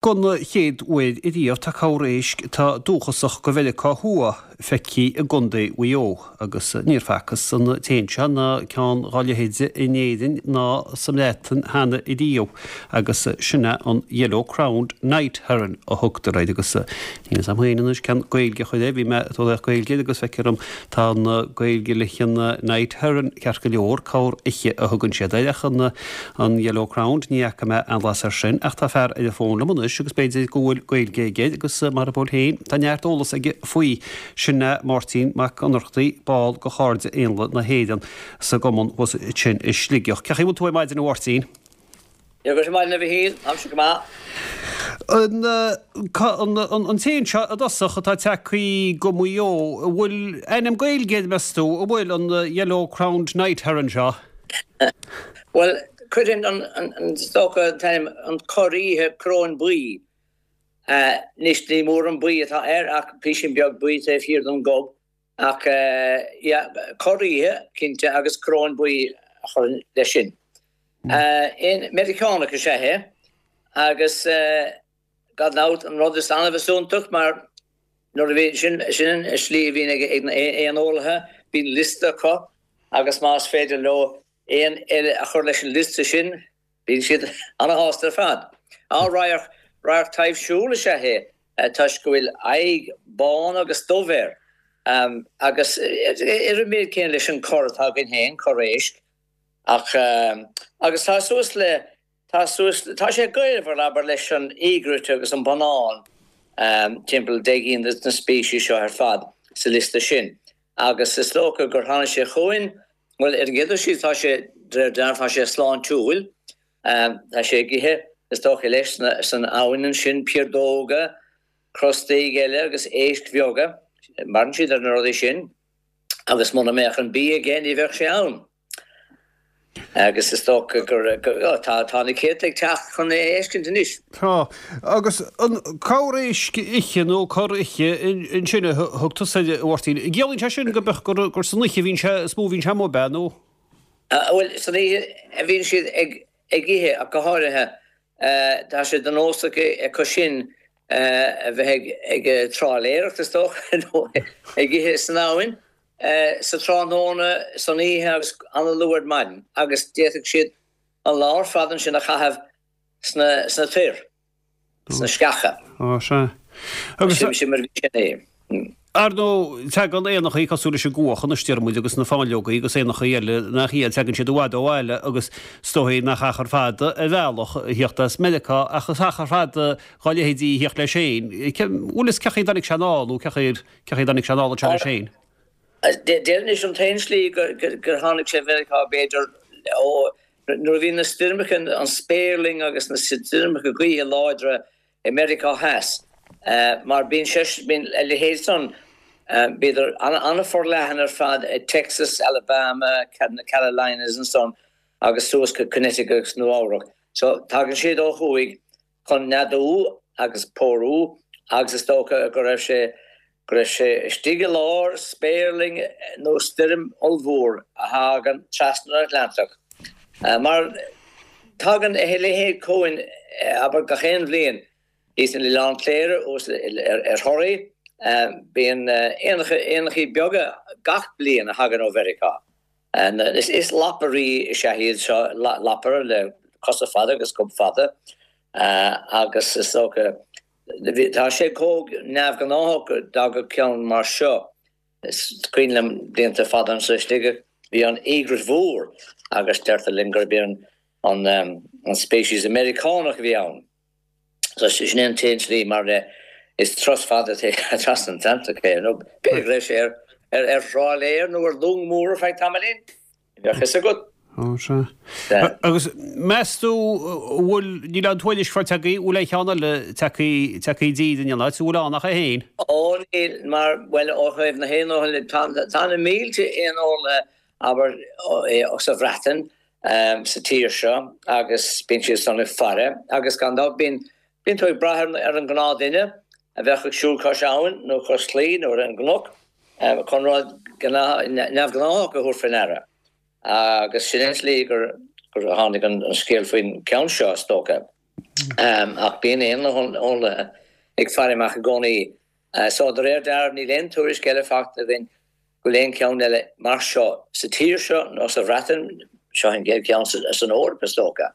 Don chéad uair ariamh tá corr éisc atá dúchasach go Mheiriceá Thuaidh feicthe i gContae Mhaigh Eo agus níor facthas an t-éan seo ná ceann dá leithéid in Éirinn ná sa mBreatain cheana ariamh agus sin é an Yellow Crowned Night Heron a thugtar air agus níl fhios a'm féin anois cén Gaeilge a chur air, bhí mé ag tabhairt Gaeilge air agus feictear dom tá an Gaeilge leis an Night Heron ceart go leor, corr oiche a thugann siad air ach an An Yellow Crowned, ní fhaca mé aon bhlas air sin, ach tá fear ar an bhfón liom anois agus b'fhéidir go bhfuil Gaeilge aige air agus mar ab eol féin, tá neart eolas aige faoi. Sin é Máirtín Mac Ionnrachtaigh, ball de Chairde Éanlaith na hÉireann sa gcumann thuas ansin i Sligeach. Cén chaoi a bhfuil tú ar maidin a Mháirtín? Dia dhuit ar maidin a Mhichíl, táimse go maith. An an t-éan seo i dtosach atá tagtha go Maigh Eo, an bhfuil ainm Gaeilge air meas tú? An bhfuil, an Yellow Crowned Night Heron seo? Bhuel, cuireann an, is dócha, an t-ainm, an corr oíche coróin buí. Anois, ní mór an buí atá air ach písín beag buí taobh thiar den ghob. Ach, yeah, corr oíche, cinnte, agus coróin buí a chuirfinn leis sin. Éan Meiriceánach is ea é agus gan dabht an rud is annamh is iontach mar nuair a bhí, sin, sin an slí a bhíonn ag na éaneolaithe, bíonn liosta acu agus más féidir leo éan eile a chur leis an liosta sin, bíonn siad ana-shásta ar fad. Á, radharc, radharc taibhsiúil is ea é toisc go bhfuil aghaidh bán agus dubh air agus ar an méid céanna leis an corr atá againn féin, corr éisc. Ach, agus tá suas le, tá suas, tá sé gaolmhar, abair, leis an egret agus an bonnán, timpeall 10 gcinn de na speicis seo ar fad sa liosta sin. Agus is dócha gur tháinig sé chugainn, bhuel, ar an gcéad dul síos, tá sé, de réir dealraimh, tá sé sláintiúil. Tá sé ag ithe, is dócha leis, san abhainn ansin, piardóga, crostaigh eile agus éisc bheaga. Maireann siad ar na rudaí sin. Agus muna mbeadh an bia aige, ní bheadh sé ann. Agus is dócha gur, tá, tá na céadta ag teacht chun é a fheiscint anois. Tá. Agus an corr éisc oiche nó corr oiche ansin a thug tusa air, a Mháirtín, an gciallaíonn sé sin go mbeadh, gur, gur san oíche a bhíonn sé, is mó a bhíonn sé amuigh, ab ea, nó? Bhuel, san oíche a bhíonn siad ag, ag ithe ach go háirithe. Tá sé de nós acu sin a bheith ag, ag trálaeireacht, is dócha, nó ag ithe san abhainn. sa tráthnóna, san oíche agus an-luath ar maidin agus d'fhéadfadh siad an lá ar fad ansin a chaitheamh sna sna toir, sna sceacha. Á, sea. Agus. Sin sin mar a bhí sin é. Ar ndóigh, tagann éanachaí cosúil leis an gcuach anois, deir muid, agus na fáinleogaí agus éanachaí eile nach iad, tagann siad i bhfad ó bhaile agus is dóigh nach achar fada ar bhealach a thíocht as Meiriceá ach is achar fada dhá leithéidí a thíocht leis féin. Bhfuil fhios cén chaoi a dtáinig sé anall nó cén chaoi ar Cén chaoi a dtáinig sé anall anseo leis féin? Déarfainn anois an t-aon slí gur tháinig sé Mheiriceá b'fhéidir ó nuair a bhí na stoirmeacha, an spéirling agus na stoirmeacha gaoithe láidre i Meiriceá Theas mar bíonn sé, bíonn a leithéid san, bhíodar an-fhorleathan ar fad i Texas, Alabama, na Carolinas ansan agus suas go Connecticut agus Nua Eabhrac. So tagann siad ó thuaidh chun neadú agus pórú agus is dócha go raibh sé go raibh sé istigh i lár spéirling nó stoirm ollmhór a thagann trasna an Atlantach. Mar tagann a leithéid chugainn abair gach aon bhliain thíos in Oileán Cléire thuas ar Thoraigh bíonn éanacha éanachaí beaga gach bliain a thagann ó Mheiriceá. Is lapairí is ea iad seo, lapaire le cosa fada agus gob fada agus is dócha, tá sé chomh neamhghnáthach go dtagadh ceann mar seo. Is cuimhin liom blianta fada anso i Sligeach, bhí an egret mhór agus deirtear linn gurb é an species Meiriceánach a bhí ann. So sin é an t-aon tslí mar is turas fada trasna an Atlantach é, nó b'fhéidir go raibh sé ar ar thrálaer nó ar long mór ar feadh tamaillín, ní bheadh fhios agat. Ó, sea. Agus meas tú an bhfuil, níl aon tuairisc faighte agaibh, an bhfuil aon cheann eile tagtha, tagtha i dtír in aon áit, an bhfuil ann ach é féin? Ó níl, mar, bhuel, ó thaobh na héaneolaithe, tá, tá na mílte éaneolaithe, abair, sa Bhreatain, sa tír seo agus bíonn siad san ag faire agus gan dabht bíonn bíonn tú ag brath ar an ghnáthdhuine a bheadh ag siúl cois abhann nó cois claí nó ar an gcnoc chun rud neamhghnáthach a thabhairt faoi ndeara agus sin an tslí gur gur tháinig an scéal faoin gceann seo is dócha. Ach bíonn éaneolaithe ag faire amach i gcónaí. So, de réir dealraimh, níl aon tuairisc eile faighte againn go bhfuil aon cheann eile mar seo sa tír seo nó sa Bhreatain, seo an chéad cheann san Eoraip, is dócha.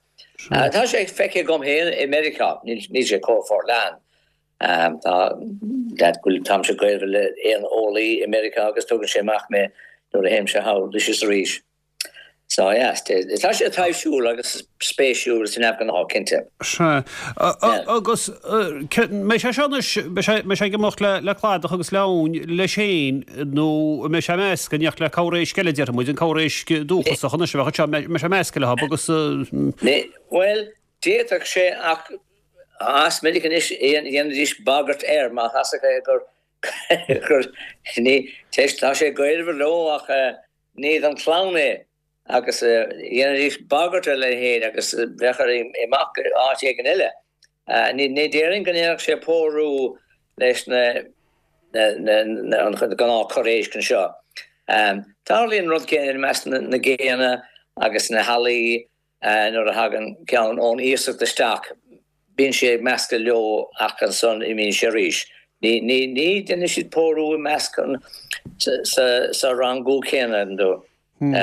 Tá sé feicthe agam féin i Meiriceá, níl sé chomh forleathan. Tá, táimse gaolmhar le éaneolaí i Meiriceá agus tugann sé amach mé nuair a théimse thall anois is arís. So yeah, tá sé taibhsiúil agus spéisiúil is neamhghnách, cinnte. Sea. Agus mbeidh sé seo anois, mbeidh sé ag imeacht le cladach agus le abhainn leis féin nó an mbeidh sé measctha in éineacht le corr éisc eile, déarfaidh muid, an corr éisc dúchasach anois a bheadh anseo, mbeidh sé measctha leo agus. Bhuel, d'fhéadfadh sé ach is minic anois dhéanfaidís bagairt air má tá a fhios acu gur, gur, ní, tá sé gaolmhar leo ach Ní den chlann é agus dhéanfaidís bagairt ar a leithéid agus bheadh air imeacht go áit éigin eile. Ní déarfainn go ndéanfadh sé pórú leis na an gnáth corr éisc anseo. Tarlaíonn an rud céanna i measc na ngéanna agus na healaí. Nuair a thagann ceann ón iasacht isteach, bíonn sé ag meascadh leo ach ansan imíonn sé arís. Ní dhéanann siad pórú i measc an sa rangú céanna. Sin é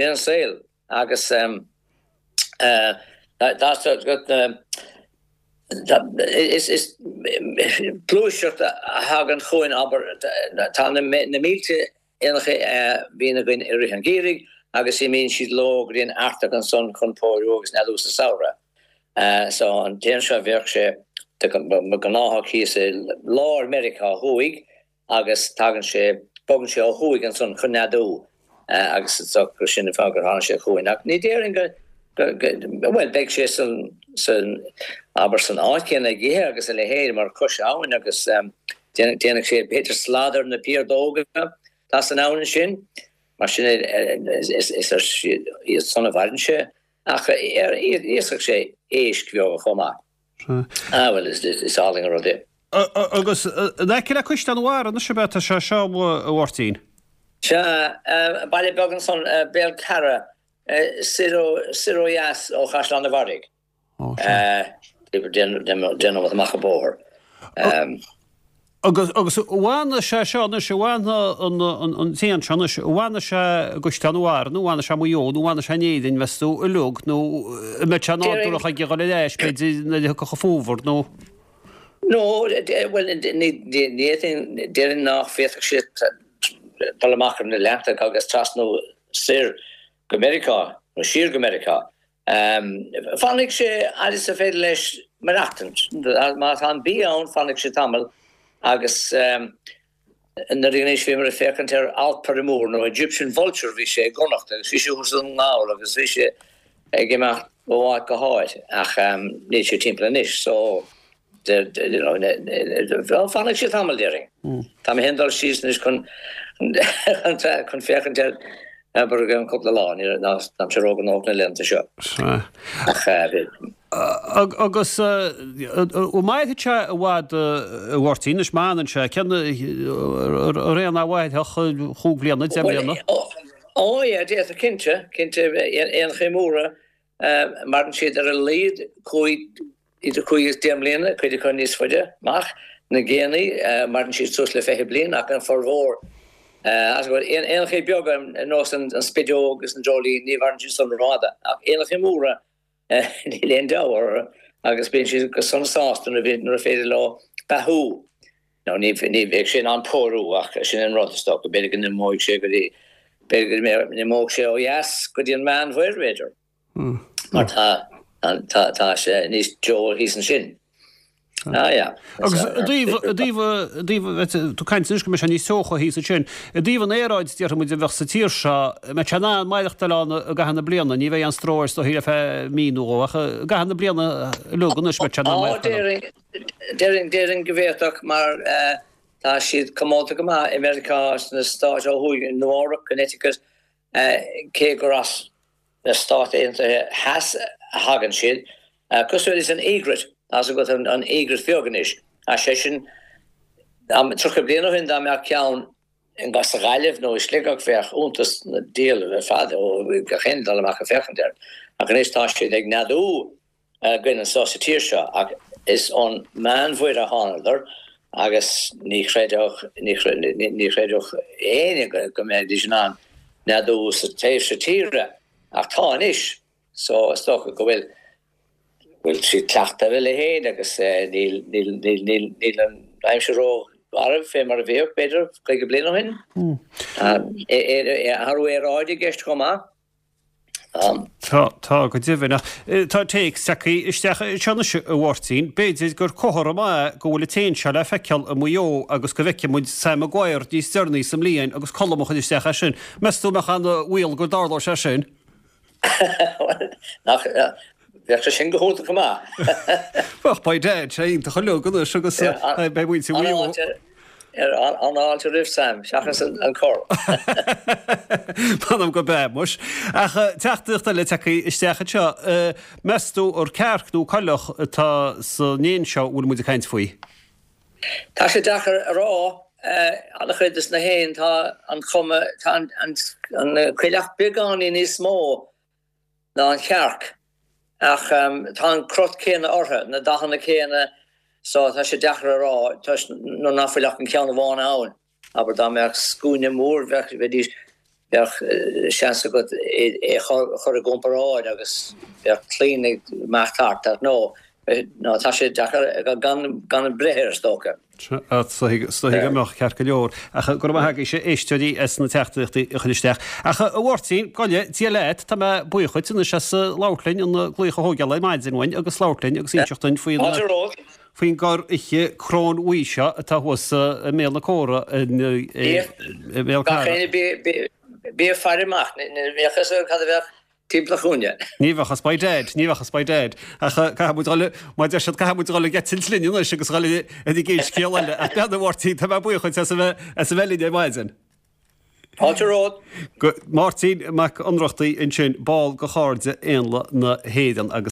an saol agus is gluaiseacht a thagann chugainn, abair, tá na mílte Éanacha a bhíonn againn i rith an gheimhridh agus imíonn siad leo go dtí an Artach ansan chun pórú agus neadú sa samhradh. So an t-éan seo bheadh sé de ghnáthach thíos i lár Meiriceá Thuaidh agus tagann sé, bogann sé ó thuaidh ansan chun neadú agus is dócha gur sin an fáth gur tháinig sé chugainn. Ach ní déarfainn go, bhuel beidh sé san, san, abair san áit chéanna ag ithe agus a leithéid mar cois abhainn agus Déanfaidh sé b'fhéidir slad ar na piardóga atá san abhainn ansin, mar sin is ar iad san a mhaireann sé, ach íosfaidh sé éisc bheaga chomh maith. Ah, bhuel, is álainn an rud é. Agus in aice le Caisleán an Bharraigh anois ab ea tá sé seo, a Mháirtín? Sea, baile beag ansan, Béal Ceara, soir ó dheas ó Chaisleán an Bharraigh. Déanamh amach an bóthar. Agus agus an bhfanfaidh sé seo anois, an bhfanfaidh an t-éan seo anois, an bhfanfaidh sé i gCaisleán an Bharraigh nó an bhfanfaidh sé i Maigh Eo nó an bhfanfaidh sé in Éirinn, meas tú, uilig, nó an mbeidh sé nádúrach aige dhul ar ais, b'fhéidir, nuair a thiocfadh an fómhar nó. No, bhuel, ní fhéadfainn, déarfainn nach bhféadfadh sé dul amach ar an Atlantach agus trasnú soir go Meiriceá, nó siar go Meiriceá. Fanfaidh sé fhad is a féidir leis maireachtaint. Má tá an bia ann, fanfaidh sé tamall agus nuair a anois bhíomar ag féachaint ar alpaire mór nó Egyptian vulture bhí sé i gConnacht agus bhí sé thuas i nDún na nGall agus bhí sé ag imeacht ó áit go háit ach níl sé timpeall anois so Fanfaidh sé tamall, déarfainn. Tá mé féin ag dul síos anois chun chun féachaint air abair i gceann cúpla lá. Ní táimse róghnóthach na laethanta seo. Ach Agus an mairfidh sé i bhfad a Mháirtín, anois má fhanann sé, cén ré a mhairfeadh, chúig bhliana, 10 mbliana? Ó yeah, d'fhéadfadh, cinnte, cinnte, éanchaí móra Maireann siad ar a laghad cúig, idir chúig agus deich mbliana, cuid acu níos faide amach. Na géannaí, maireann siad suas le 20 bliain ach an formhór, éanachaí beaga ar nós an spideog agus an dreoilín, ní mhaireann siad san rófhada. Ach éanachaí móra, níl aon deabhadh orthu agus bíonn siad go sona sásta nuair a féidir leo beathú. Nó ní bheidh sé in ann pórú ach sin an rud, is dócha. B'fhéidir go n-imeoidh sé go dtí, b'fhéidir go n-imeodh sé ó dheas go dtí an Meánmhuir, b'fhéidir. Mar tá, tá, tá sé níos teo thíos ansin. Ah, yeah. Agus i dtaobh, i dtaobh, i dtaobh, tú ag caint anois go mbeidh sé níos teocha thíos ansin. I dtaobh an aeráid, déarfaidh muid, a bheadh sa tír seo, an mbeadh sé in ann maireachtáil ann i gcaitheamh na bliana? Ní bheidh aon stró air is dóichí ar feadh mí nó dhó ach i gcaitheamh na bliana uilig anois, mbeadh sé in ann maireachtáil ann? Déarfainn, déarfainn go bhféadfadh mar tá siad comónta go maith i Meiriceá, sna stáit ó thuaidh, i Nua Eabhrac, Connecticut, cé gur as na Stáit Aontaithe Theas a thagann siad. Cosúil leis an egret, tá's agat an egret bheag anois, tá seisean, 30 bliain ó shin dá mbeadh ceann sa Ghaillimh nó i Sligeach bheadh iontas na diabhal ar fad ó gach éinne dul amach ag féachaint air. Ach anois tá siad ag neadú. againn anso sa tír seo ach is ón Meánmhuir a thánadar agus ní chreidfeadh, ní chreidfeadh éinne go mbeidís in ann neadú sa taobh seo tíre ach tá anois so is dócha go bhfuil, bhfuil siad cleachta ar a leithéid agus níl, níl, níl, níl, níl an aimsir ró-gharbh fé mar a bhíodh b'fhéidir 50 bliain ó shin. Athrú aeráide i gceist chomh maith. Tá, tá, go deimhin. Ach tá téacs tagtha isteach anseo anois, a Mháirtín. B'fhéidir gur comhartha maith é go bhfuil an t-éan seo le feiceáil i Maigh Eo agus go bhfeicfidh muid Sam Maguire níos deireanaí sa mbliain agus Colm a chuir isteach é sin. Meas tú an mbeadh an-bhaol go dtarlódh sé sin? Bhuel, nach, bheadh sé sin go hiontach go maith. Bheadh, by dad, sé iontach uilig anois agus beidh muintir Mhaigh Eo. An-fháilte roimh Sam, seachas an corr. M'anam go b'ea, muis. Ach teachtaireacht eile tagtha isteach anseo. Meas tú ar cearc nó coileach atá san éan seo a bhfuil muid ag caint faoi? Tá sé deacair a rá. An-chuid de na héin, tá an chuma, tá an coileach beagáinín níos mó ná an chearc ach tá an crot céanna orthu, na dathanna céanna so tá sé deacair a rá toisc nuair nach bhfuil ach an ceann amháin ann. Abair dá mbeadh scuaine mór bheadh, bheidís, bheadh seans agat é a chur i gcomparáid agus bheadh claon ag imeacht thart ach no, no tá sé deacair gan, gan breith air is dócha. Is dóigh go mbeadh, ceart go leor. Ach go raibh maith agaibhse, éisteoirí, as na teachtaireachtaí a chur isteach. Ach a Mháirtín, gabh i leith Dia leat, tá mé buíoch dhuit anois as labhairt linn, an glaoch a thógáil ar maidin uainn agus labhairt linn agus inseacht duinn faoin faoin gcorr oiche crónbhuí seo atá thuas i mBéal na Cora i mBéal Gach Carra. éinne bí ag faire amach, ní bheadh fhios agat cad a bheadh timpeall an chúinne. Ní bheadh fhios by dad, ní bheadh fhios by dad. Ach caithfidh muid dhul, mar deir siad, caithfidh muid dhul ag eitilt linn anois agus dhul ar an gcéad scéal eile. Ach beannacht, a Mháirtín, tá mé buíoch dhuit as a bheith, as a bheith linn ar maidin. Fáilte romhat. Go, Máirtín Mac Ionnrachtaigh ansin, ball de Chairde Éanlaith na hÉireann agus.